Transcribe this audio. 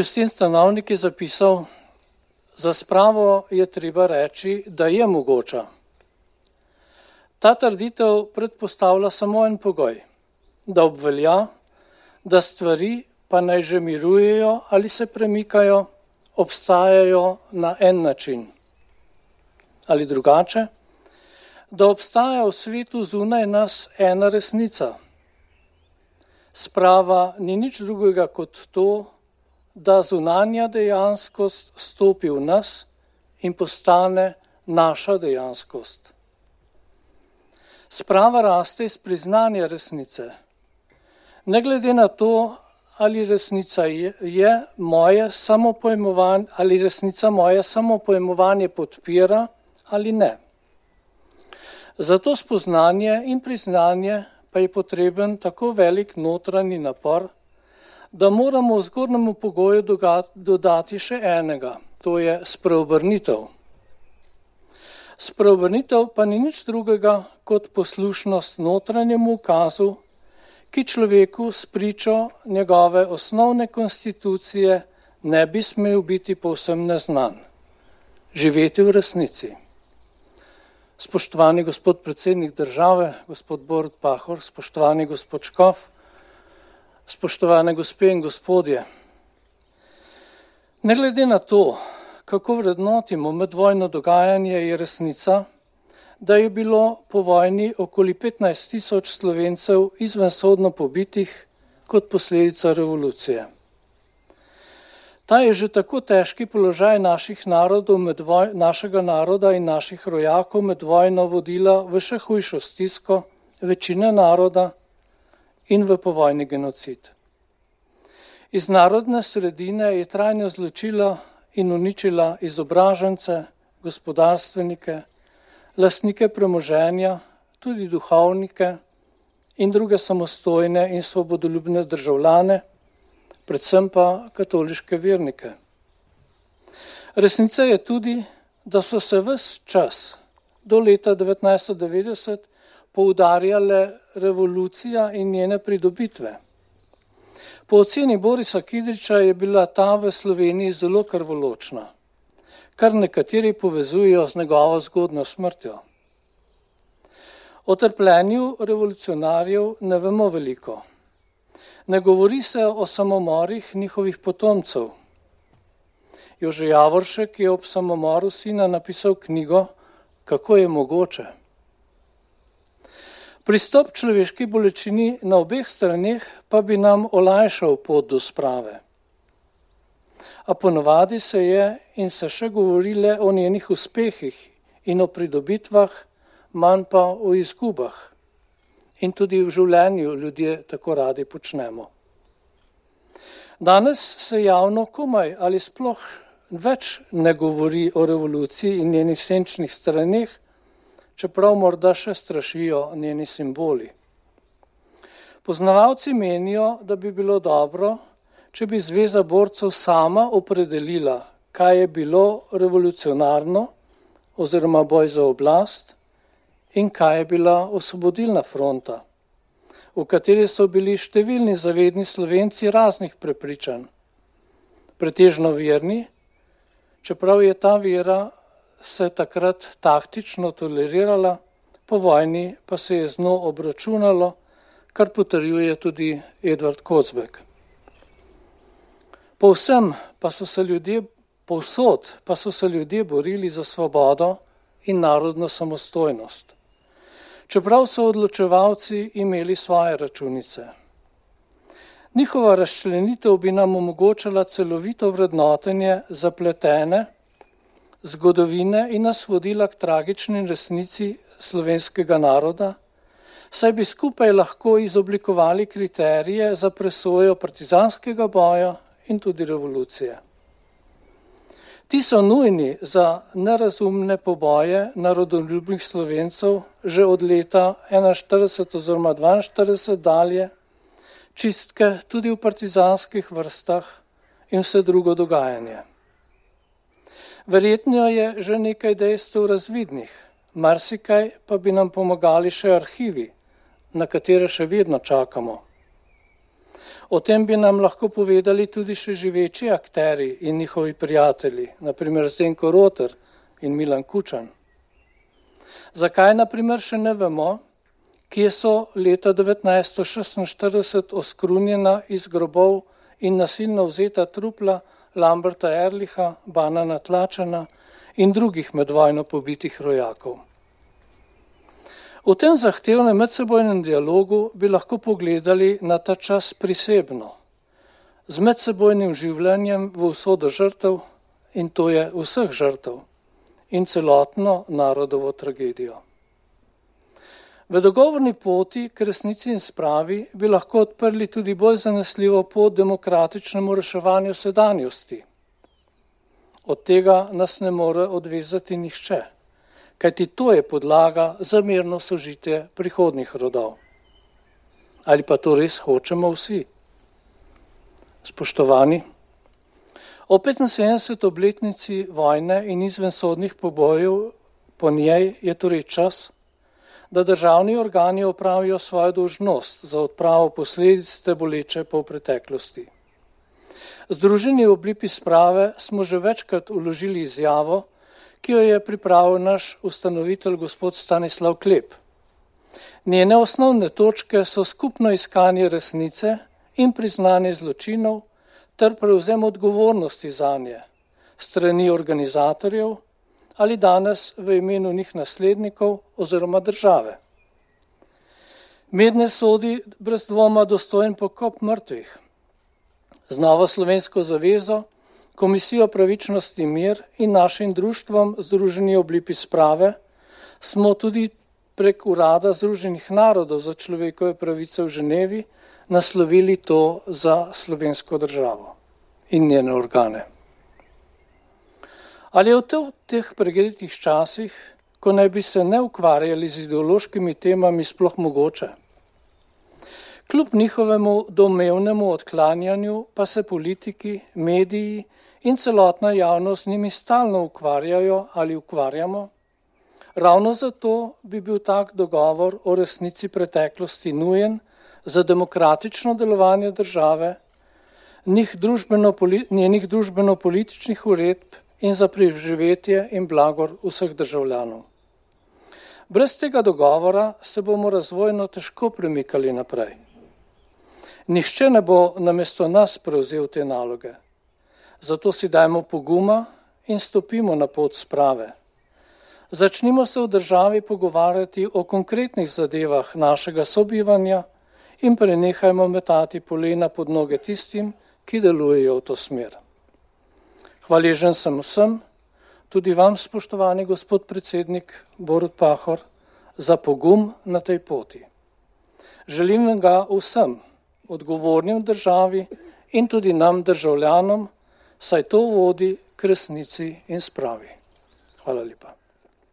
Justin Stanovnik je zapisal, za spravo je treba reči, da je mogoča. Ta trditev predpostavlja samo en pogoj, da obvelja, da stvari pa naj že mirujejo ali se premikajo, obstajajo na en način. Ali drugače, da obstaja v svetu zunaj nas ena resnica. Sprava ni nič drugega kot to, da zunanja dejanskost stopi v nas in postane naša dejanskost. Sprava raste iz priznanja resnice. Ne glede na to, ali resnica moje samopojmovanje, ali resnica moje samopojmovanje podpira ali ne. Zato spoznanje in priznanje pa je potreben tako velik notranji napor, da moramo v zgornjemu pogoju dodati še enega, to je spreobrnitev. Spreobrnitev pa ni nič drugega kot poslušnost notranjemu ukazu, ki človeku spričo njegove osnovne konstitucije ne bi smel biti povsem neznan. Živeti v resnici. Spoštovani gospod predsednik države, gospod Borut Pahor, spoštovani gospod Škof, spoštovane gospe in gospodje. Ne glede na to, kako vrednotimo medvojno dogajanje, je resnica, da je bilo po vojni okoli 15.000 Slovencev izvensodno pobitih kot posledica revolucije. Ta je že tako težki položaj našega naroda in naših rojakov med vojno vodila v še hujšo stisko večine naroda in v povojni genocid. Iz narodne sredine je trajno zločila in uničila izobražence, gospodarstvenike, lastnike premoženja, tudi duhovnike in druge samostojne in svobodoljubne državljane, predvsem pa katoliške vernike. Resnica je tudi, da so se ves čas do leta 1990 poudarjale revolucija in njene pridobitve. Po oceni Borisa Kidriča je bila ta v Sloveniji zelo krvoločna, kar nekateri povezujejo z njegovo zgodnjo smrtjo. O trpljenju revolucionarjev ne vemo veliko. Ne govori se o samomorih njihovih potomcev. Jože Javoršek je ob samomoru sina napisal knjigo Kako je mogoče. Pristop človeški bolečini na obeh straneh pa bi nam olajšal pot do sprave. A ponovadi se je in se še govori le o njenih uspehih in o pridobitvah, manj pa o izgubah. In tudi v življenju ljudje tako radi počnemo. Danes se javno komaj ali sploh več ne govori o revoluciji in njenih senčnih straneh, čeprav morda še strašijo njeni simboli. Poznavalci menijo, da bi bilo dobro, če bi Zveza borcev sama opredelila, kaj je bilo revolucionarno oziroma boj za oblast in kaj je bila osvobodilna fronta, v kateri so bili številni zavedni Slovenci raznih prepričanj, pretežno verni, čeprav je ta vera se takrat taktično tolerirala, po vojni pa se je z njo obračunalo, kar potrjuje tudi Edvard Kozbek. Povsod pa so se ljudje borili za svobodo in narodno samostojnost. Čeprav so odločevalci imeli svoje računice. Njihova razčlenitev bi nam omogočala celovito vrednotenje zapletene zgodovine in nas vodila k tragični resnici slovenskega naroda, saj bi skupaj lahko izoblikovali kriterije za presojo partizanskega boja in tudi revolucije. Ti so nujni za nerazumne poboje narodoljubnih Slovencev že od leta 1941 oziroma 1942 dalje, čistke tudi v partizanskih vrstah in vse drugo dogajanje. Verjetno je že nekaj dejstev razvidnih, marsikaj pa bi nam pomagali še arhivi, na katere še vedno čakamo. O tem bi nam lahko povedali tudi še živeči akteri in njihovi prijatelji, naprimer Zdenko Roter in Milan Kučan. Zakaj naprimer še ne vemo, kje so leta 1946 oskrunjena iz grobov in nasilno vzeta trupla Lamberta Ehrlicha, Banana Tlačana in drugih med vojno pobitih rojakov. V tem zahtevnem medsebojnem dialogu bi lahko pogledali na ta čas prisebno, z medsebojnim življenjem v usodo žrtev, in to je vseh žrtev, in celotno narodovo tragedijo. V dogovorni poti k resnici in spravi bi lahko odprli tudi bolj zanesljivo pot demokratičnemu reševanju sedanjosti. Od tega nas ne more odvezati nihče, kajti to je podlaga za mirno sožitje prihodnjih rodov. Ali pa to res hočemo vsi? Spoštovani, o 75. obletnici vojne in izvensodnih pobojev po njej je torej čas, da državni organi opravijo svojo dolžnost za odpravo posledic te boleče po preteklosti. Združeni v obliki sprave smo že večkrat vložili izjavo, ki jo je pripravil naš ustanovitelj gospod Stanislav Klep. Njene osnovne točke so skupno iskanje resnice in priznanje zločinov ter prevzem odgovornosti zanje, strani organizatorjev ali danes v imenu njih naslednikov oziroma države. Mednje sodi brez dvoma dostojen pokop mrtvih. Z Novo slovensko zavezo, Komisijo pravičnosti in mir in našim društvom Združeni v obliki sprave smo tudi prek Urada Združenih narodov za človekove pravice v Ženevi naslovili to za slovensko državo in njene organe. Ali je v teh preglednih časih, ko naj bi se ne ukvarjali z ideološkimi temami, sploh mogoče? Kljub njihovemu domnevnemu odklanjanju pa se politiki, mediji in celotna javnost z njimi stalno ukvarjajo ali ukvarjamo. Ravno zato bi bil tak dogovor o resnici preteklosti nujen za demokratično delovanje države, njenih družbeno-političnih uredb in za preživetje in blagor vseh državljanov. Brez tega dogovora se bomo razvojno težko premikali naprej. Nihče ne bo namesto nas prevzel te naloge. Zato si dajmo poguma in stopimo na pot sprave. Začnimo se v državi pogovarjati o konkretnih zadevah našega sobivanja in prenehajmo metati polena pod noge tistim, ki delujejo v to smer. Hvaležen sem vsem, tudi vam, spoštovani gospod predsednik Borut Pahor, za pogum na tej poti. Želim ga vsem, odgovornim v državi in tudi nam državljanom, saj to vodi k resnici in spravi. Hvala lepa.